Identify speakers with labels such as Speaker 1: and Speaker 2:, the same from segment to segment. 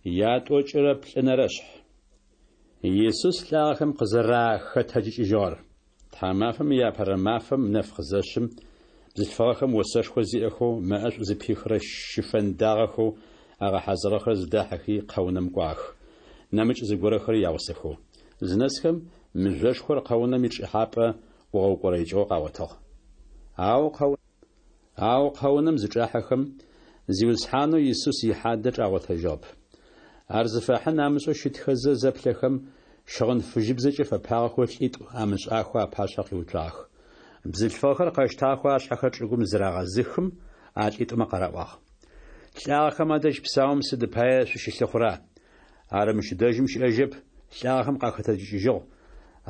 Speaker 1: Ятӏокӏырэ плӏэнэрэшъхь. Исус лӏагъэхэм къызэрахэтэджыкӏыжьыгъэр. Тхьамафэм иапэрэ мафэм нэф къызэшъым, бзылъфыгъэхэм осэшхо зиӏэхэу мэӏэшӏу зыпихырэ щыфэн дагъэхэу агъэхьазырыгъэхэр зыдахьыхи къэунэм кӏуагъэх, нэмыкӏ зыгорэхэри ягъусэхэу. Зынэсхэм, мыжъошхор къэунэм ичӏэхьапӏэ ӏугъэукӏорэикӏыгъэу къагъотыгъ. Ау Ау къэунэм зычӏахьэхэм, Зиусхьанэу Исус ихьадэ чӏагъотэжьыгъэп. Ар зыфахьын амышӏэу щытхэзэ зэплъэхэм, щыгъын фыжьыбзэкӏэ фэпагъэхэу лӏитӏу амышӏахэу апашъхьэ къиуцуагъэх. Бзылъфыгъэхэр къэщтагъэхэу ашъхьэхэр чӏыгум зырагъэзыхым, а лӏитӏумэ къараӏуагъ. Лӏагъэхэм адэжь псаум сыд пае шъущылъыхъура? Ар мыщ дэжьым щыӏэжьэп, лӏагъэхэм къахэтэджыкӏыжьыгъ.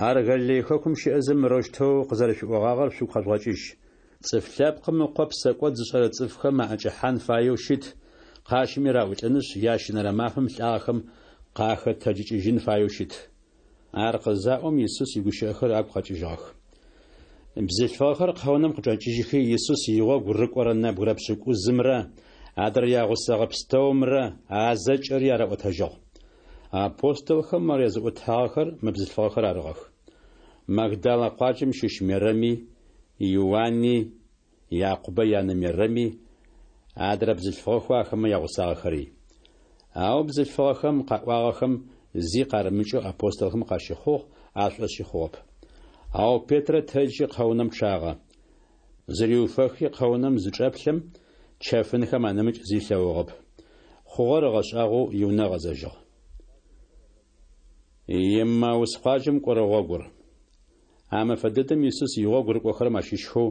Speaker 1: Ар Галилей хэкум щыӏэзэ мырэущтэу къызэрэшъуиӏогъагъэр шъугу къэжъугъэкӏыжь. Цӏыф Лъэпкъым Ыкъо псэкӏод зышӏэрэ цӏыфхэм аӏэкӏэхьан фаеу щыт, къащыми раӏулӏынышъ, ящэнэрэ мафэм лӏагъэхэм къахэтэджыкӏыжьын фаеу щыт. Ар къызаӏом, Исус игущыӏэхэр агу къэкӏыжьыгъэх. Бзылъфыгъэхэр къэунэм къычӏэкӏыжьхи, Исус игъогу рыкӏорэ нэбгырэ пшӏыкӏузымрэ адрэ ягъусэгъэ пстэумрэ а зэкӏэри араӏотэжьыгъ. Апостолхэм ар языӏотагъэхэр мы бзылъфыгъэхэр арыгъэх. Магдалэ къуаджэм щыщ Мерэми, Иуани, Якъубэ янэ Мерэми, адрэ бзылъфыгъэхэу ахэмэ ягъусагъэхэри. Ау бзылъфыгъэхэм къаӏуагъэхэм зи къарымыкӏэу апостолхэм къащыхъугъ, ашӏошъи хъугъэп. Ау Петрэ тэджи къэунэм чъагъэ. Зыриуфэхи къэунэм зычӏэплъэм, чэфынхэм анэмыкӏ зи ылъэгъугъэп. Хъугъэр ыгъэшӏагъоу иунэ ыгъэзэжьыгъ. Еммаус къуаджэм кӏорэ гъогур. А мэфэ дэдэм Исус игъогу рыкӏохэрэм ащыщхэу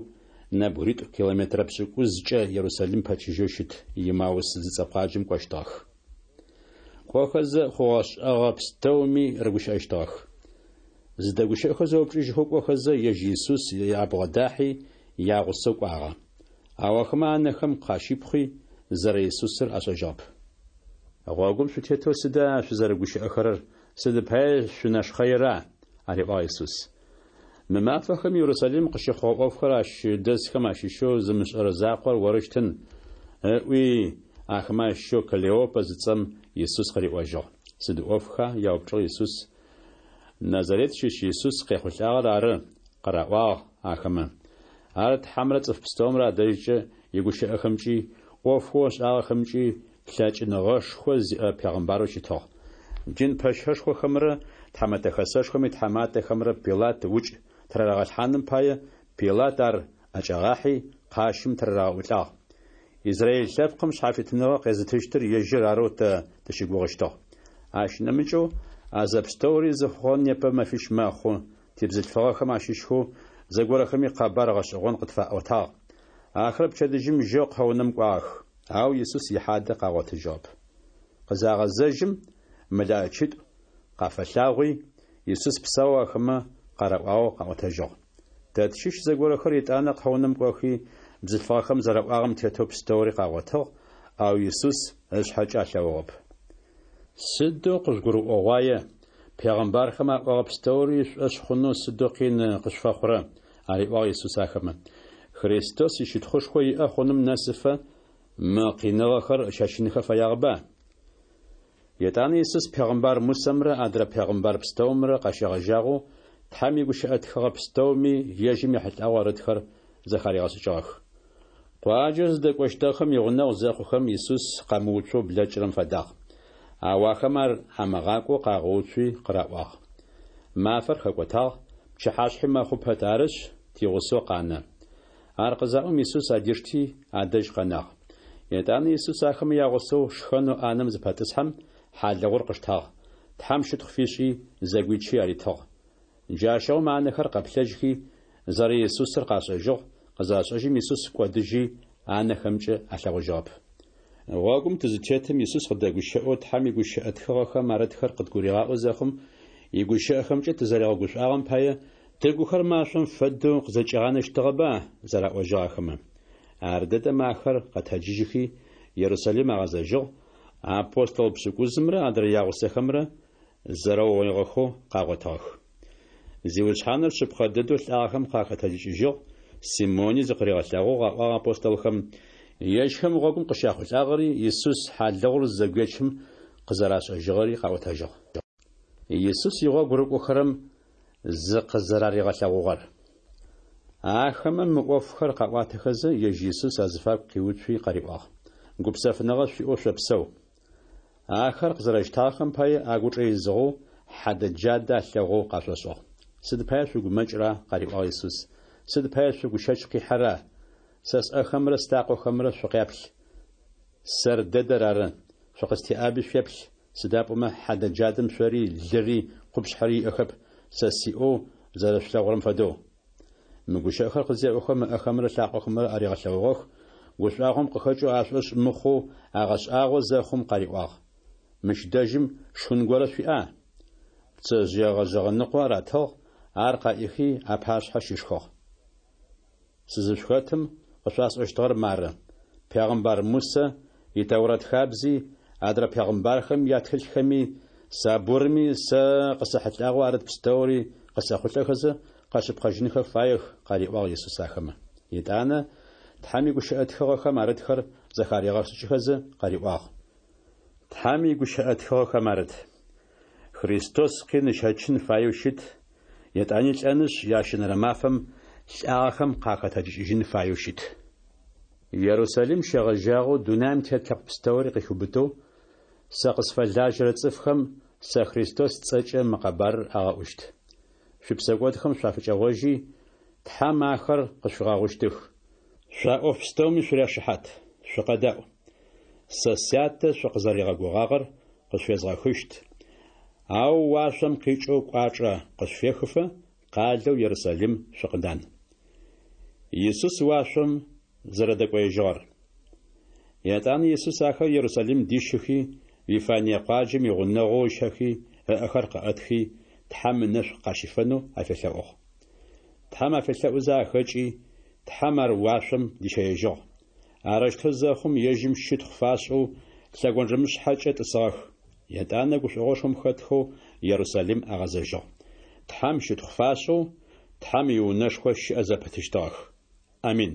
Speaker 1: нэбгыритӏу километрэ пшӏыкӏузкӏэ Ерусалим пэчыжьэу щыт Еммаус зыцӏэ къуаджэм кӏощтыгъэх. Кӏохэзэ, хъугъэ-шӏэгъэ пстэуми рыгущыӏэщтыгъэх. Зыдэгущыӏэхэу зэупчӏыжьхэу кӏохэзэ, ежь Исус абгъодахьи, ягъусэу кӏуагъэ. Ау ахэмэ анэхэм къащипхъуи, зэрэ-Исусыр ашӏэжьыгъэп. Гъогум шъутетэу сыда шъузэрыгущыӏэхэрэр, сыд пае шъунэшхъэира? ариӏуагъ Исус. Мы мафэхэм Ерусалим къыщыхъугъэ ӏофхэр ащ дэсхэм ащыщэу зымышӏэрэ закъор орыщтын, ыӏуи, ахэмэ ащыщэу Клеопэ зыцӏэм Исус къыриӏожьыгъ. Сыд ӏофха? яупчӏыгъ Исус. Назарет щыщ Исус къехъулӏагъэр ары, къыраӏуагъ ахэмэ. Ар Тхьэмрэ цӏыф пстэумрэ адэжькӏэ игущыӏэхэмкӏи, ӏофхэу ышӏагъэхэмкӏи лъэкӏыныгъэшхо зиӏэ пегъымбарэу щытыгъ. Дин пэщэшхохэмрэ Тхьэмэтэ Хэсэшхом итхьаматэхэмрэ Пилат укӏ тырарагъэлъхьаным пае Пилат ар ӏэкӏагъахьи, къащым тырарагъэӏулӏагъ. Израил лъэпкъым шъхьафитыныгъэ къезытыщтыр ежьыр арэу тэ тыщыгугъыщтыгъ. Ащ нэмыкӏэу, а зэпстэури зыхъугъэр непэ мэфищ мэхъу, тибзылъфыгъэхэм ащыщхэу зэгорэхэми къэбар гъэшӏэгъон къытфаӏотагъ. Ахэр пчэдыжьым жьэу къэунэм кӏуагъэх, ау Исус ихьадэ къагъотыжьыгъэп. Къызагъэзэжьым, мэлэӏэчитӏу къафэлъагъуи, Исус псаоу ахэмэ къараӏуагъэу къаӏотэжьыгъ. Тэ тщыщ зэгорэхэр етӏанэ къэунэм кӏохи, бзылъфыгъэхэм зэраӏуагъэм тетэу пстэури къагъотыгъ, ау Исус ышъхьэкӏэ алъэгъугъэп. Сыдэу къыжъугурыӏогъуае, пегъэмбархэм аӏогъэ пстэури шъушӏошъ хъунэу сыдэу къин къышъуфэхъурэ, ариӏуагъ Исус ахэмэ. Христос ищытхъушхо иӏэ хъуным нэсыфэ мы къиныгъэхэр ыщэчынхэ фэягъэба? Етӏанэ Исус пегъымбар Мусэмрэ адрэ пегъымбар пстэумрэ къащегъэжьагъэу Тхьэм игущыӏэ тхыгъэ пстэуми ежьым ехьылӏагъэу арытхэр зэхаригъэшӏыкӏыгъэх. Къуаджэу зыдэкӏощтыгъэхэм игъунэгъу зэхъухэм, Исус къэмыуцоу блэкӏырэм фэдагъ. Ау ахэм ар амыгъакӏоу къагъэуцуи къыраӏуагъ. Мафэр хэкӏотагъ, пчыхьашъхьи мэхъу пэт, арышъ, тигъусэу къанэ. Ар къызаӏом, Исус адишти, адэжь къэнагъ. Етӏанэ Исус ахэмэ ягъусэу шхэнэу ӏанэм зыпэтӏысхьэм, хьалыгъур къыштагъ, Тхьэм щытхъу фишӏи, зэгуичи аритыгъ. Джащыгъум анэхэр къэплъэжьхи, зэрэИсусыр къашӏэжьыгъ, къызашӏэжьым Исус кӏодыжьи, анэхэмкӏэ алъэгъужьыгъэп. Гъогум тызытетым Исус къыдэгущыӏэу Тхьэм игущыӏэ тхыгъэхэм арытхэр къыдгуригъаӏо зэхъум, игущыӏэхэмкӏэ тызэригъэгушӏуагъэм пае Тыгухэр машӏом фэдэу къызэкӏигъанэщтыгъэба? зэраӏожьыгъ ахэмэ. Ардэдэм ахэр къэтэджыжьыхи, Ерусалим агъэзэжьыгъ, апостол пшӏыкӏузымрэ адрэ ягъусэхэмрэ зэрэугъоигъэхэу къагъотыгъэх. Зиусхьаныр шъыпкъэ дэдэу лӏагъэхэм къахэтэджыкӏыжьыгъ, Симони зыкъыригъэлъэгъугъ, аӏуагъ апостолхэм. Ежьхэм гъогум къыщяхъулӏагъэри Исус хьалыгъур зызэгуечым къызэрашӏэжьыгъэри къаӏотэжьыгъ. Исус игъогу рыкӏохэрэм зыкъызэраригъэлъэгъугъэр. Ахэмэ мы ӏофхэр къаӏуатэхэзэ, ежь Исус азыфагу къиуцуи къариӏуагъ: Гупсэфыныгъэ шъуиӏэу шъопсэу. Ахэр къызэрэщтагъэхэм пае агучӏэ изыгъэу, хьадэ-джадэ алъэгъоу къашӏошӏыгъ. Сыд пае шъугумэкӏра? къариӏуагъ Исус. Сыд пае шъугу щэч къихьэра? Сэ сӏэхэмрэ слъакъохэмрэ шъукъяплъ. Сэр дэдэр ары. Шъукъыстеӏаби шъуеплъ, сыда пӏомэ хьадэ-джадэм шъори, лыри, къупшъхьэри иӏэхэп, сэ сиӏэу зэрэшъулъэгъурэм фэдэу. Мы гущыӏэхэр къызеӏохэм ыӏэхэмрэ лъакъохэмрэ аригъэлъэгъугъэх, гушӏуагъом къыхэкӏэу ашӏошъ мыхъоу агъэшӏагъо зэхъум къариӏуагъ: Мыщ дэжьым шхын горэ шъуиӏа? Пцэжъые гъэжъэгъэ ныкъо аратыгъ, ар къаӏихи апашъхьэ щишхыгъ. Сызышъухэтым къышъуасӏощтыгъэр мары: пегъымбар Мусэ и Тэурэт хабзи, адрэ пегъымбархэм ятхылъхэми, Сабурми сэ къысэхьылӏагъэу арыт пстэури къысэхъулӏэхэзэ къэшъыпкъэжьынхэ фаех, къариӏуагъ Исус ахэмэ. Етӏанэ Тхьэм игущыӏэ тхыгъэхэм арытхэр зэхаригъэшӏыкӏыхэзэ къариӏуагъ. Тхьэм игущыӏэ тхыгъэхэм арыт: Христос къин ыщэчын фаеу щыт, етӏани лӏэнышъ, ящэнэрэ мафэм лӏагъэхэм къахэтэджыкӏыжьын фаеу щыт. Ерусалим щегъэжьагъэу дунаим тет лъэпкъ пстэури къыхиубытэу, сэ къысфэлажьэрэ цӏыфхэм сэ Христос сцӏэкӏэ мы къэбарыр агъэӏущт. Шъуипсэкӏодхэм шъуафыкӏэгъожьи, Тхьэм ахэр къышъуфигъэгъущтых. Шъо а ӏоф пстэуми шъуряшыхьат. Шъукъэдаӏу. Сэ Сятэ шъукъызэригъэгугъагъэр къышъуфезгъэхыщт, ау уашъом къикӏэу кӏуачӏэ къышъуфехыфэ, къалэу Ерусалим шъукъыдан. Исус уашъом зэрэдэкӏоежьыгъэр. Етӏанэ Исус ахэр Ерусалим дищыхи, Вифание къуаджэм игъунэгъоу ыщэхи, ыӏэхэр къыӏэтхи, Тхьэм ынэшӏу къащифэнэу афелъэӏугъ. Тхьэм афелъэӏузэ ахэкӏи, Тхьэм ар уашъом дищэежьыгъ. Арэущтэу зэхъум, ежьым щытхъу фашӏэу лъэгонджэмышъхьэкӏэ тӏысыгъэх. Етӏанэ гушӏогъошхом хэтхэу Ерусалим агъэзэжьыгъ. Тхьэм щытхъу фашӏэу, Тхьэм иунэшхо щыӏэ зэпытыщтыгъэх. Амин.